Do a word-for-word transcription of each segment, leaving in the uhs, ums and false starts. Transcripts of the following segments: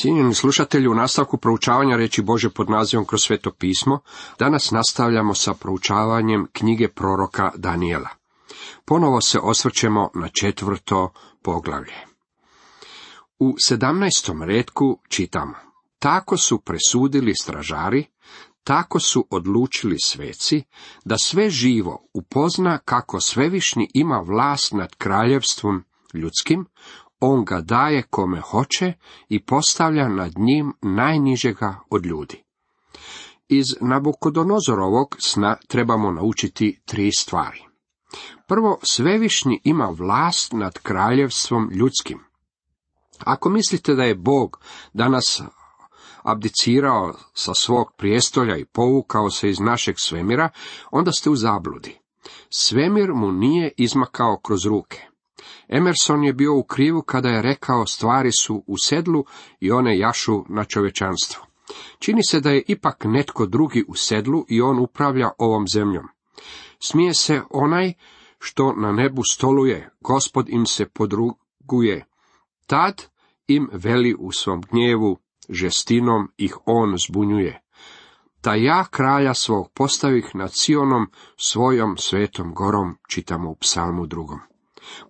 Cijenjeni slušatelji, u nastavku proučavanja riječi Božje pod nazivom Kroz sveto pismo, danas nastavljamo sa proučavanjem knjige proroka Danijela. Ponovo se osvrćemo na četvrto poglavlje. U sedamnaestom retku čitamo: tako su presudili stražari, tako su odlučili sveci, da sve živo upozna kako svevišnji ima vlast nad kraljevstvom ljudskim, on ga daje kome hoće i postavlja nad njim najnižega od ljudi. Iz Nabukodonozorovog sna trebamo naučiti tri stvari. Prvo, svevišnji ima vlast nad kraljevstvom ljudskim. Ako mislite da je Bog danas abdicirao sa svog prijestolja i povukao se iz našeg svemira, onda ste u zabludi. Svemir mu nije izmakao kroz ruke. Emerson je bio u krivu kada je rekao: stvari su u sedlu i one jašu na čovječanstvo. Čini se da je ipak netko drugi u sedlu i on upravlja ovom zemljom. Smije se onaj što na nebu stoluje, Gospod im se podruguje. Tad im veli u svom gnjevu, žestinom ih on zbunjuje. Da ja kralja svog postavih nad Sionom, svojom svetom gorom, čitamo u psalmu drugom.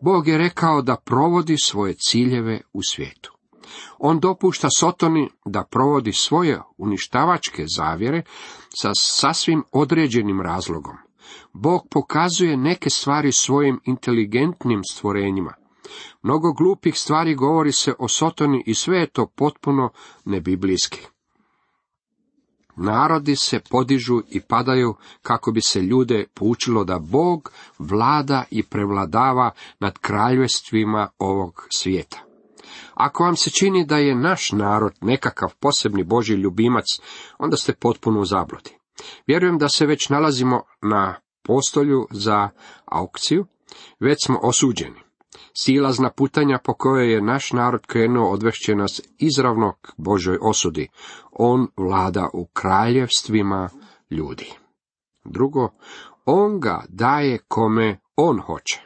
Bog je rekao da provodi svoje ciljeve u svijetu. On dopušta Sotoni da provodi svoje uništavačke zavjere sa sasvim određenim razlogom. Bog pokazuje neke stvari svojim inteligentnim stvorenjima. Mnogo glupih stvari govori se o Sotoni i sve je to potpuno nebiblijski. Narodi se podižu i padaju kako bi se ljude poučilo da Bog vlada i prevladava nad kraljevstvima ovog svijeta. Ako vam se čini da je naš narod nekakav posebni Božji ljubimac, onda ste potpuno u zabludi. Vjerujem da se već nalazimo na postolju za aukciju, već smo osuđeni. Silazna putanja po kojoj je naš narod krenuo odvešće nas izravno k Božoj osudi. On vlada u kraljevstvima ljudi. Drugo, on ga daje kome on hoće.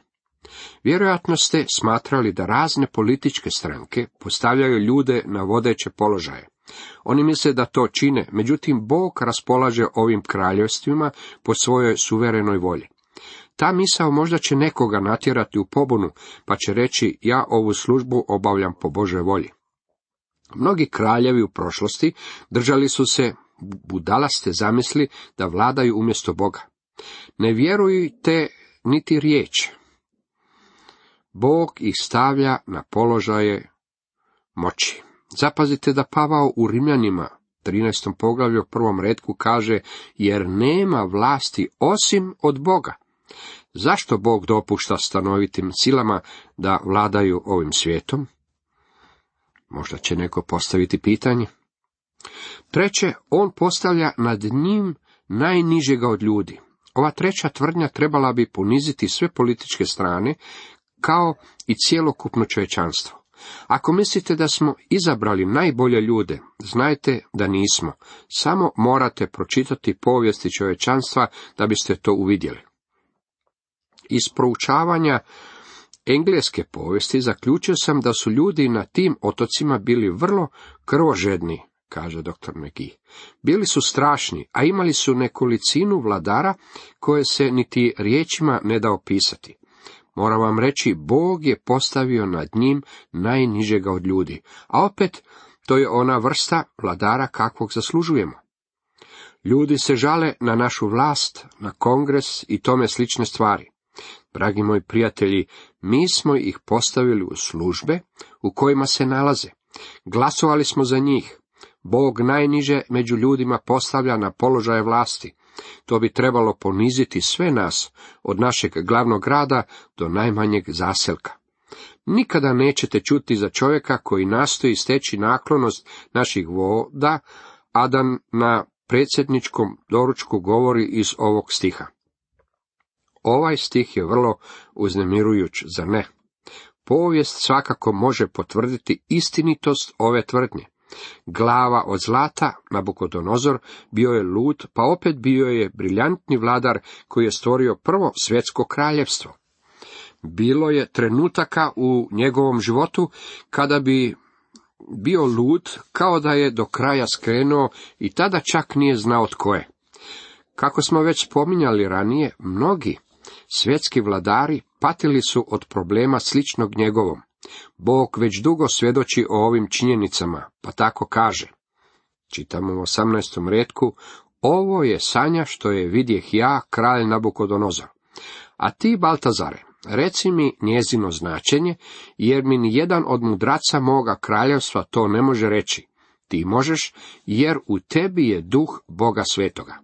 Vjerojatno ste smatrali da razne političke stranke postavljaju ljude na vodeće položaje. Oni misle da to čine, međutim Bog raspolaže ovim kraljevstvima po svojoj suverenoj volji. Ta misao možda će nekoga natjerati u pobunu, pa će reći: ja ovu službu obavljam po Božoj volji. Mnogi kraljevi u prošlosti držali su se budalaste zamisli da vladaju umjesto Boga. Ne vjerujte niti riječ. Bog ih stavlja na položaje moći. Zapazite da Pavao u Rimljanima, trinaestom poglavlju, prvom retku kaže: jer nema vlasti osim od Boga. Zašto Bog dopušta stanovitim silama da vladaju ovim svijetom? Možda će neko postaviti pitanje. Treće, on postavlja nad njim najnižega od ljudi. Ova treća tvrdnja trebala bi poniziti sve političke strane, kao i cjelokupno čovječanstvo. Ako mislite da smo izabrali najbolje ljude, znajte da nismo. Samo morate pročitati povijesti čovječanstva da biste to uvidjeli. Iz proučavanja engleske povijesti zaključio sam da su ljudi na tim otocima bili vrlo krvožedni, kaže doktor McGee. Bili su strašni, a imali su nekolicinu vladara koje se niti riječima ne da opisati. Moram vam reći, Bog je postavio nad njim najnižega od ljudi, a opet to je ona vrsta vladara kakvog zaslužujemo. Ljudi se žale na našu vlast, na kongres i tome slične stvari. Dragi moji prijatelji, mi smo ih postavili u službe u kojima se nalaze. Glasovali smo za njih. Bog najniže među ljudima postavlja na položaje vlasti. To bi trebalo poniziti sve nas, od našeg glavnog grada do najmanjeg zaselka. Nikada nećete čuti za čovjeka koji nastoji steći naklonost naših voda, a da na predsjedničkom doručku govori iz ovog stiha. Ovaj stih je vrlo uznemirujuć, zar ne? Povijest svakako može potvrditi istinitost ove tvrdnje. Glava od zlata, Nabukodonozor, bio je lud, pa opet bio je briljantni vladar koji je stvorio prvo svjetsko kraljevstvo. Bilo je trenutaka u njegovom životu kada bi bio lud, kao da je do kraja skrenuo i tada čak nije znao tko je. Kako smo već spominjali ranije, mnogi svjetski vladari patili su od problema sličnog njegovom. Bog već dugo svjedoči o ovim činjenicama, pa tako kaže. Čitamo u osamnaestom retku, ovo je sanja što je vidjeh ja, kralj Nabukodonozor. A ti, Baltazare, reci mi njezino značenje, jer mi ni jedan od mudraca moga kraljevstva to ne može reći. Ti možeš, jer u tebi je duh Boga svetoga.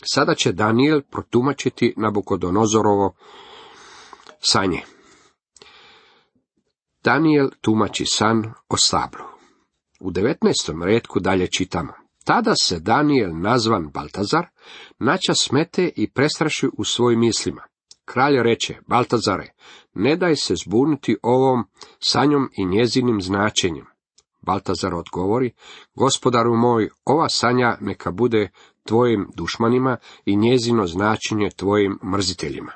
Sada će Danijel protumačiti Nabukodonozorovo sanje. Danijel tumači san o stablu. U devetnaestom retku dalje čitamo. Tada se Danijel, nazvan Baltazar, nača smete i prestraši u svojim mislima. Kralj reče, Baltazare, ne daj se zbuniti ovom sanjom i njezinim značenjem. Baltazar odgovori, gospodaru moj, ova sanja neka bude tvojim dušmanima i njezino značenje tvojim mrziteljima.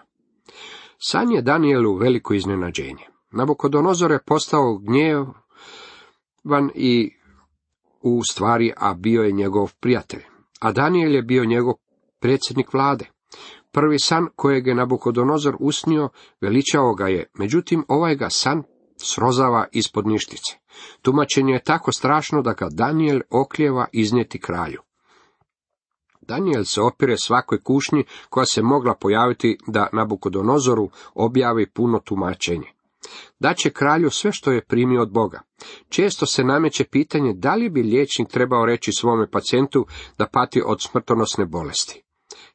San je Danijelu veliko iznenađenje. Nabukodonozor je postao gnjevan i u stvari, a bio je njegov prijatelj. A Danijel je bio njegov predsjednik vlade. Prvi san kojeg je Nabukodonozor usnio veličao ga je, međutim ovaj ga san srozava ispod ništice. Tumačenje je tako strašno da ga Danijel oklijeva iznijeti kralju. Danijel se opire svakoj kušnji koja se mogla pojaviti da Nabukodonozoru objavi puno tumačenje. Daće kralju sve što je primio od Boga. Često se nameće pitanje da li bi liječnik trebao reći svome pacijentu da pati od smrtonosne bolesti.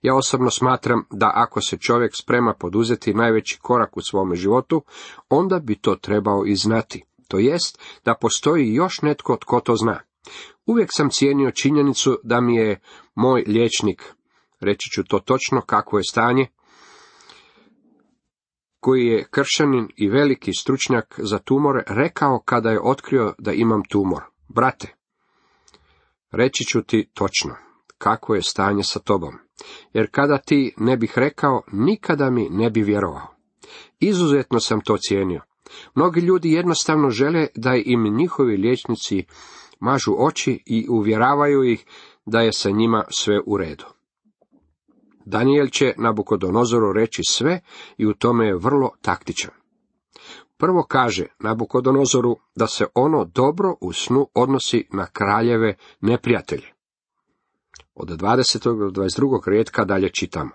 Ja osobno smatram da ako se čovjek sprema poduzeti najveći korak u svome životu, onda bi to trebao i znati. To jest da postoji još netko tko to zna. Uvijek sam cijenio činjenicu da mi je moj liječnik, reći ću to točno kakvo je stanje, koji je kršćanin i veliki stručnjak za tumore, rekao kada je otkrio da imam tumor. Brate, reći ću ti točno kako je stanje sa tobom, jer kada ti ne bih rekao, nikada mi ne bi vjerovao. Izuzetno sam to cijenio. Mnogi ljudi jednostavno žele da im njihovi liječnici mažu oči i uvjeravaju ih da je sa njima sve u redu. Danijel će Nabukodonozoru reći sve i u tome je vrlo taktičan. Prvo kaže Nabukodonozoru da se ono dobro u snu odnosi na kraljeve neprijatelje. Od dvadesetog do dvadeset drugog retka dalje čitamo.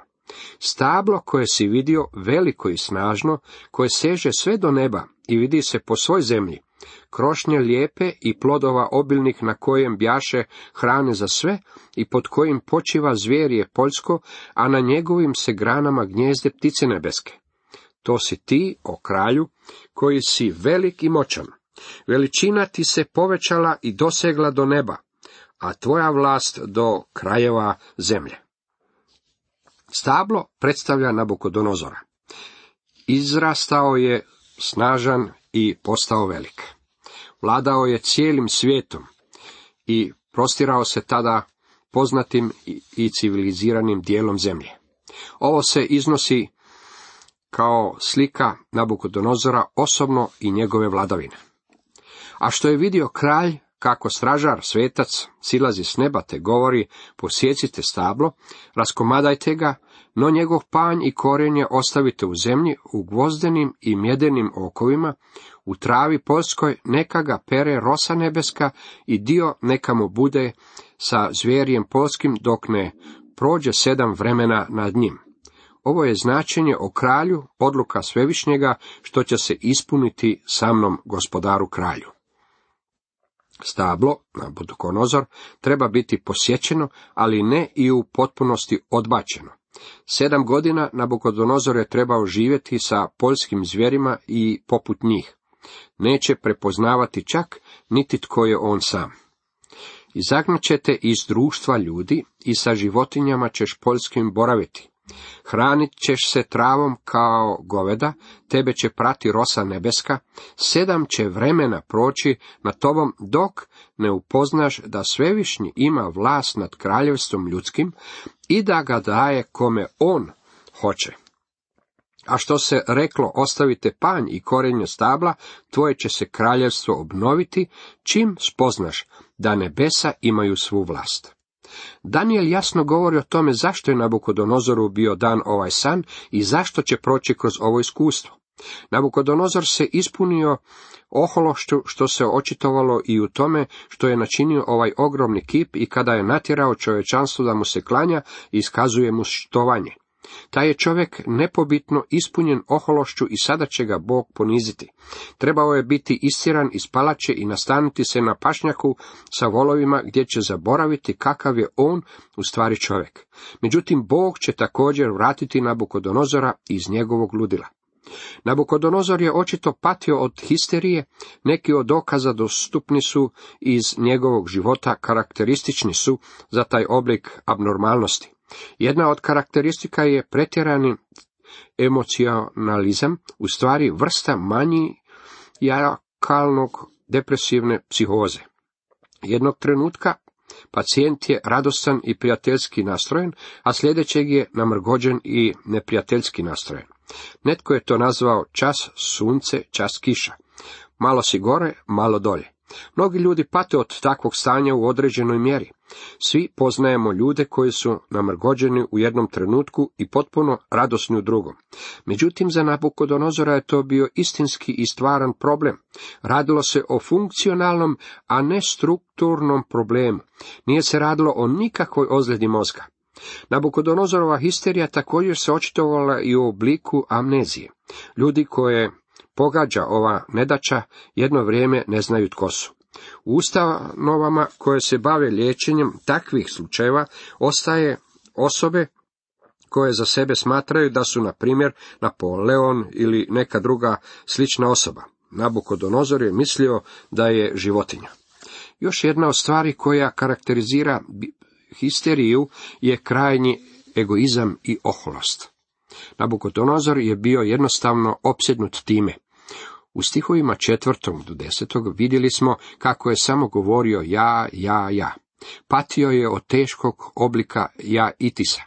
Stablo koje si vidio, veliko i snažno, koje seže sve do neba i vidi se po svoj zemlji, krošnje lijepe i plodova obilnih na kojem bjaše hrane za sve i pod kojim počiva zvjerje poljsko, a na njegovim se granama gnjezde ptice nebeske. To si ti, o kralju, koji si velik i moćan. Veličina ti se povećala i dosegla do neba, a tvoja vlast do krajeva zemlje. Stablo predstavlja Nabukodonozora. Izrastao je snažan i postao velik. Vladao je cijelim svijetom i prostirao se tada poznatim i civiliziranim dijelom zemlje. Ovo se iznosi kao slika Nabukodonozora osobno i njegove vladavine. A što je vidio kralj, kako stražar, svetac, silazi s neba te govori, posjecite stablo, raskomadajte ga, no njegov panj i korijenje ostavite u zemlji, u gvozdenim i mjedenim okovima, u travi poljskoj, neka ga pere rosa nebeska i dio neka mu bude sa zvjerjem poljskim dok ne prođe sedam vremena nad njim. Ovo je značenje o kralju, odluka Svevišnjega, što će se ispuniti sa mnom, gospodaru kralju. Stablo, Nabukodonozor, treba biti posjećeno, ali ne i u potpunosti odbačeno. Sedam godina Nabukodonozor je trebao živjeti sa poljskim zvjerima i poput njih. Neće prepoznavati čak niti tko je on sam. Izagnat ćete iz društva ljudi i sa životinjama ćeš poljskim boraviti. Hranit ćeš se travom kao goveda, tebe će prati rosa nebeska, sedam će vremena proći nad tobom dok ne upoznaš da Svevišnji ima vlast nad kraljevstvom ljudskim i da ga daje kome on hoće. A što se reklo, ostavite panj i korenje stabla, tvoje će se kraljevstvo obnoviti, čim spoznaš da nebesa imaju svu vlast. Daniel jasno govori o tome zašto je Nabukodonozoru bio dan ovaj san i zašto će proći kroz ovo iskustvo. Nabukodonozor se ispunio ohološću, što se očitovalo i u tome što je načinio ovaj ogromni kip i kada je natjerao čovječanstvo da mu se klanja i iskazuje mu štovanje. Taj je čovjek nepobitno ispunjen ohološću i sada će ga Bog poniziti. Trebao je biti istjeran iz palače i nastaniti se na pašnjaku sa volovima gdje će zaboraviti kakav je on u stvari čovjek. Međutim, Bog će također vratiti Nabukodonozora iz njegovog ludila. Nabukodonozor je očito patio od histerije, neki od dokaza dostupni su iz njegovog života, karakteristični su za taj oblik abnormalnosti. Jedna od karakteristika je pretjerani emocionalizam, u stvari vrsta manijakalnog depresivne psihoze. Jednog trenutka pacijent je radostan i prijateljski nastrojen, a sljedećeg je namrgođen i neprijateljski nastrojen. Netko je to nazvao čas sunce, čas kiša. Malo si gore, malo dolje. Mnogi ljudi pate od takvog stanja u određenoj mjeri. Svi poznajemo ljude koji su namrgođeni u jednom trenutku i potpuno radosni u drugom. Međutim, za Nabukodonozora je to bio istinski i stvaran problem. Radilo se o funkcionalnom, a ne strukturnom problemu. Nije se radilo o nikakvoj ozljedi mozga. Nabukodonozorova histerija također se očitovala i u obliku amnezije. Ljudi koje pogađa ova nedaća jedno vrijeme ne znaju tko su. U ustanovama koje se bave liječenjem takvih slučajeva ostaje osobe koje za sebe smatraju da su, na primjer, Napoleon ili neka druga slična osoba. Nabukodonozor je mislio da je životinja. Još jedna od stvari koja karakterizira histeriju je krajnji egoizam i oholost. Nabukodonozor je bio jednostavno opsjednut time. U stihovima četvrtog do desetog vidjeli smo kako je samo govorio ja, ja, ja. Patio je od teškog oblika ja itisa.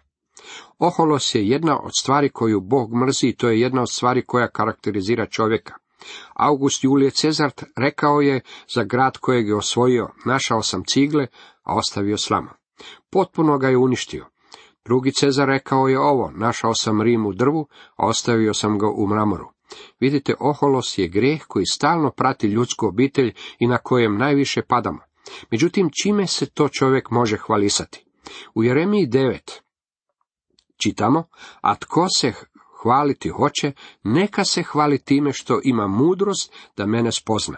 Oholost je jedna od stvari koju Bog mrzi i to je jedna od stvari koja karakterizira čovjeka. August Julije Cezar rekao je za grad kojeg je osvojio, našao sam cigle, a ostavio slamu. Potpuno ga je uništio. Drugi Cezar rekao je ovo, našao sam Rim u drvu, a ostavio sam ga u mramoru. Vidite, oholost je grijeh koji stalno prati ljudsku obitelj i na kojem najviše padamo. Međutim, čime se to čovjek može hvalisati? U Jeremiji devet čitamo, a tko se hvaliti hoće, neka se hvali time što ima mudrost da mene spozna.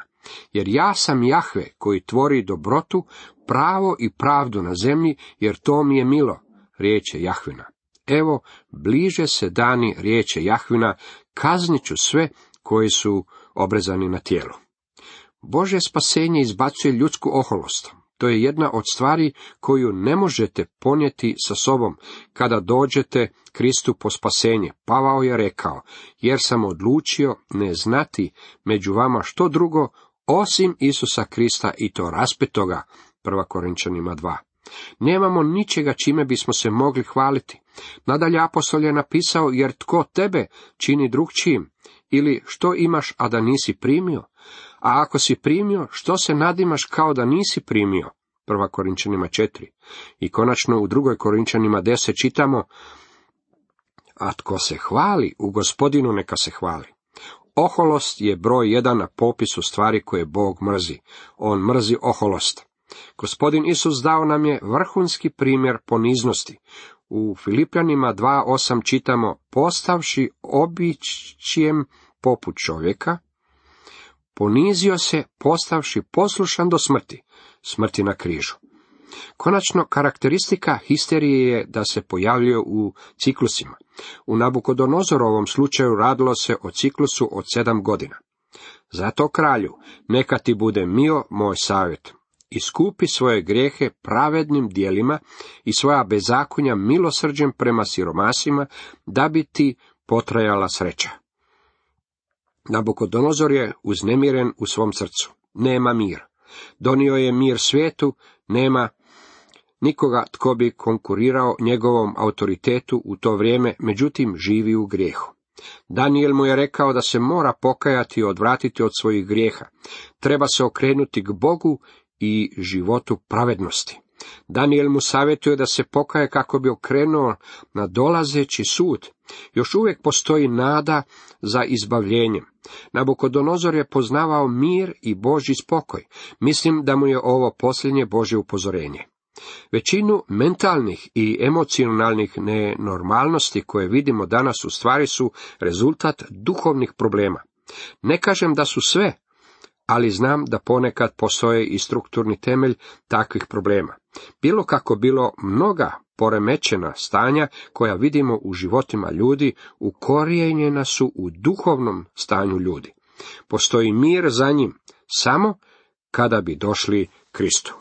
Jer ja sam Jahve koji tvori dobrotu, pravo i pravdu na zemlji, jer to mi je milo, riječ je Jahvina. Evo, bliže se dani, riječ je Jahvina, kaznit ću sve koji su obrezani na tijelu. Božje spasenje izbacuje ljudsku oholost. To je jedna od stvari koju ne možete ponijeti sa sobom kada dođete Kristu po spasenje. Pavao je rekao, jer sam odlučio ne znati među vama što drugo osim Isusa Krista i to raspetoga. Prva Korinčanima dva. Nemamo ničega čime bismo se mogli hvaliti. Nadalje apostol je napisao, jer tko tebe čini drugčijim, ili što imaš, a da nisi primio? A ako si primio, što se nadimaš kao da nisi primio? Prva Korinčanima četiri. I konačno u drugoj Korinčanima deset čitamo, a tko se hvali, u Gospodinu neka se hvali. Oholost je broj jedan na popisu stvari koje Bog mrzi. On mrzi oholost. Gospodin Isus dao nam je vrhunski primjer poniznosti. U Filipljanima dva osam čitamo, postavši običjem poput čovjeka, ponizio se, postavši poslušan do smrti, smrti na križu. Konačno, karakteristika histerije je da se pojavljuje u ciklusima. U Nabukodonozorovom slučaju radilo se o ciklusu od sedam godina. Zato kralju, neka ti bude mio moj savjet. Iskupi svoje grijehe pravednim djelima i svoja bezakonja milosrđem prema siromasima, da bi ti potrajala sreća. Nabukodonozor je uznemiren u svom srcu. Nema mir. Donio je mir svijetu, nema nikoga tko bi konkurirao njegovom autoritetu u to vrijeme, međutim živi u grijehu. Danijel mu je rekao da se mora pokajati i odvratiti od svojih grijeha. Treba se okrenuti k Bogu i životu pravednosti. Danijel mu savjetuje da se pokaje kako bi okrenuo na dolazeći sud. Još uvijek postoji nada za izbavljenjem. Nabukodonozor je poznavao mir i Božji spokoj. Mislim da mu je ovo posljednje Božje upozorenje. Većinu mentalnih i emocionalnih nenormalnosti koje vidimo danas u stvari su rezultat duhovnih problema. Ne kažem da su sve, ali znam da ponekad postoje i strukturni temelj takvih problema. Bilo kako bilo, mnoga poremećena stanja koja vidimo u životima ljudi ukorijenjena su u duhovnom stanju ljudi. Postoji mir za njim samo kada bi došli Kristu.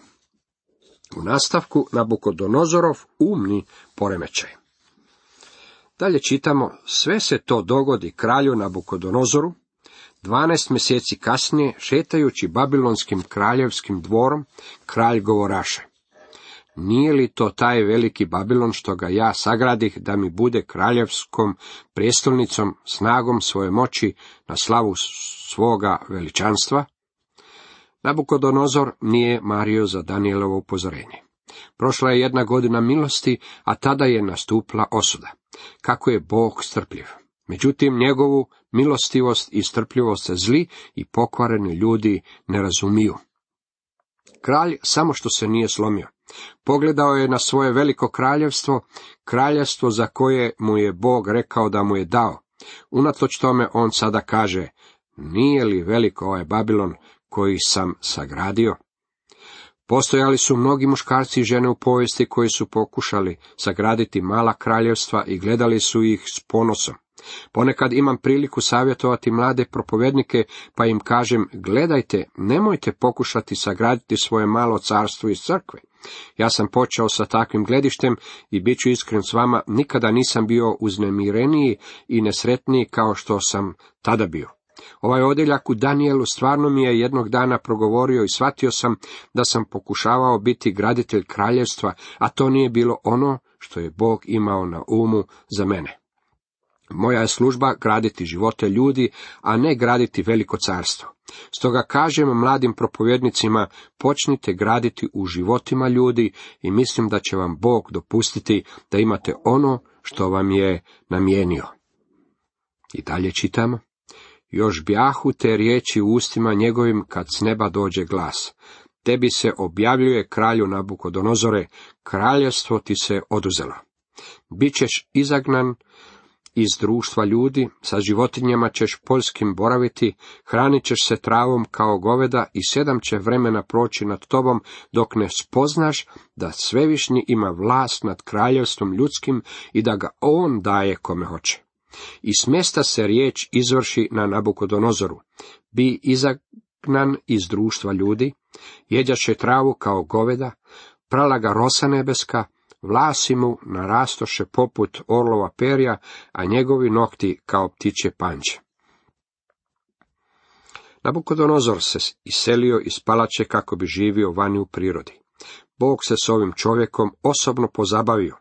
U nastavku Nabukodonozorov umni poremećaj. Dalje čitamo, sve se to dogodi kralju Nabukodonozoru, dvanaest mjeseci kasnije, šetajući babilonskim kraljevskim dvorom, kralj govoraše: nije li to taj veliki Babilon što ga ja sagradih da mi bude kraljevskom prijestolnicom, snagom svoje moći na slavu svoga veličanstva? Nabukodonozor nije mario za Danijelovo upozorenje. Prošla je jedna godina milosti, a tada je nastupila osuda. Kako je Bog strpljiv. Međutim, njegovu milostivost i strpljivost zli i pokvareni ljudi ne razumiju. Kralj samo što se nije slomio. Pogledao je na svoje veliko kraljevstvo, kraljevstvo za koje mu je Bog rekao da mu je dao. Unatoč tome on sada kaže: nije li veliko ovaj Babilon koji sam sagradio? Postojali su mnogi muškarci i žene u povijesti koji su pokušali sagraditi mala kraljevstva i gledali su ih s ponosom. Ponekad imam priliku savjetovati mlade propovjednike, pa im kažem: gledajte, nemojte pokušati sagraditi svoje malo carstvo iz crkve. Ja sam počeo sa takvim gledištem i bit ću iskren s vama, nikada nisam bio uznemireniji i nesretniji kao što sam tada bio. Ovaj odjeljak u Danijelu stvarno mi je jednog dana progovorio i shvatio sam da sam pokušavao biti graditelj kraljevstva, a to nije bilo ono što je Bog imao na umu za mene. Moja je služba graditi živote ljudi, a ne graditi veliko carstvo. Stoga kažem mladim propovjednicima, počnite graditi u životima ljudi i mislim da će vam Bog dopustiti da imate ono što vam je namijenio. I dalje čitamo. Još bjahu te riječi u ustima njegovim kad s neba dođe glas. Tebi se objavljuje, kralju Nabukodonozore, kraljevstvo ti se oduzelo. Bićeš izagnan iz društva ljudi, sa životinjama ćeš poljskim boraviti, hranit ćeš se travom kao goveda i sedam će vremena proći nad tobom, dok ne spoznaš da Svevišnji ima vlast nad kraljevstvom ljudskim i da ga on daje kome hoće. I smjesta se riječ izvrši na Nabukodonozoru: bi izagnan iz društva ljudi, jeđaše travu kao goveda, prala ga rosa nebeska, vlasi mu narastoše poput orlova perja, a njegovi nokti kao ptičje panče. Nabukodonozor se iselio iz palače kako bi živio vani u prirodi. Bog se s ovim čovjekom osobno pozabavio.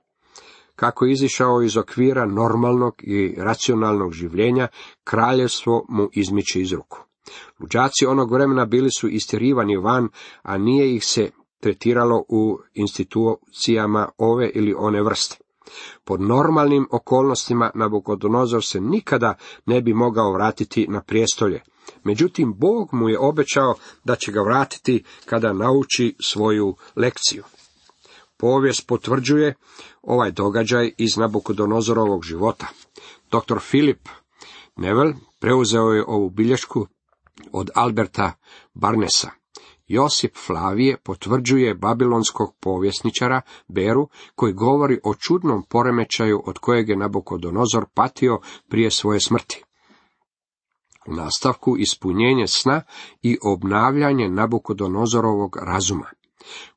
Kako je izišao iz okvira normalnog i racionalnog življenja, kraljevstvo mu izmiče iz ruku. Luđaci onog vremena bili su istjerivani van, a nije ih se tretiralo u institucijama ove ili one vrste. Pod normalnim okolnostima Nabukodonozor se nikada ne bi mogao vratiti na prijestolje. Međutim, Bog mu je obećao da će ga vratiti kada nauči svoju lekciju. Povijest potvrđuje ovaj događaj iz Nabukodonozorovog života. doktor Philip Neville preuzeo je ovu bilješku od Alberta Barnesa. Josip Flavije potvrđuje babilonskog povjesničara Beru, koji govori o čudnom poremećaju od kojeg je Nabukodonozor patio prije svoje smrti. U nastavku ispunjenje sna i obnavljanje Nabukodonozorovog razuma.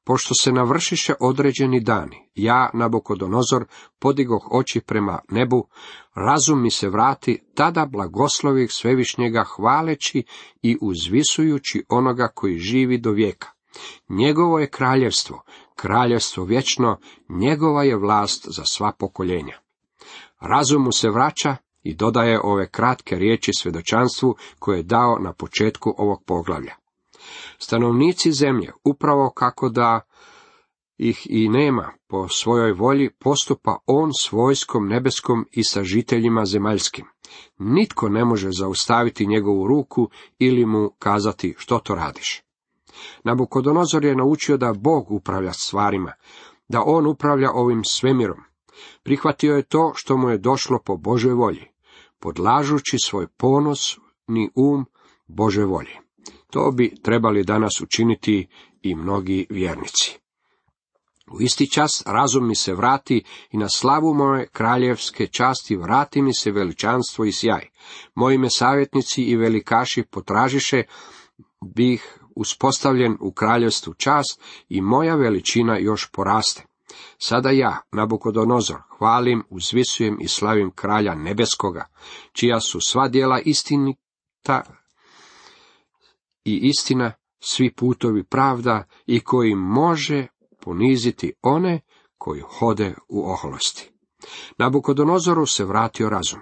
Pošto se navršiše određeni dani, ja, Nabukodonozor, podigoh oči prema nebu, razum mi se vrati, tada blagoslovih Svevišnjega hvaleći i uzvisujući onoga koji živi do vijeka. Njegovo je kraljevstvo, kraljevstvo vječno, njegova je vlast za sva pokoljenja. Razum mu se vraća I dodaje ove kratke riječi svjedočanstvu koje je dao na početku ovog poglavlja. Stanovnici zemlje, upravo kako da ih i nema po svojoj volji, postupa on s vojskom nebeskom i sa žiteljima zemaljskim. Nitko ne može zaustaviti njegovu ruku ili mu kazati što to radiš. Nabukodonozor je naučio da Bog upravlja stvarima, da on upravlja ovim svemirom. Prihvatio je to što mu je došlo po Božoj volji, podlažući svoj ponosni um Božoj volji. To bi trebali danas učiniti i mnogi vjernici. U isti čas razum mi se vrati i na slavu moje kraljevske časti vrati mi se veličanstvo i sjaj. Moji me savjetnici i velikaši potražiše, bih uspostavljen u kraljevstvu čast i moja veličina još poraste. Sada ja, Nabukodonozor, hvalim, uzvisujem i slavim kralja nebeskoga, čija su sva djela istinita i istina, svi putovi pravda i koji može poniziti one koji hode u oholosti. Nabukodonozoru se vratio razum.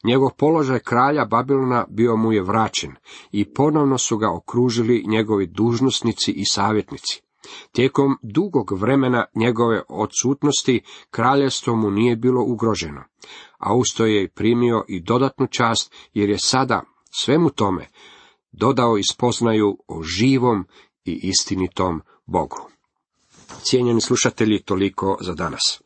Njegov položaj kralja Babilona bio mu je vraćen i ponovno su ga okružili njegovi dužnosnici i savjetnici. Tijekom dugog vremena njegove odsutnosti kraljevstvo mu nije bilo ugroženo, a usto je primio i dodatnu čast jer je sada svemu tome dodao i spoznaju o živom i istinitom Bogu. Cijenjeni slušatelji, toliko za danas.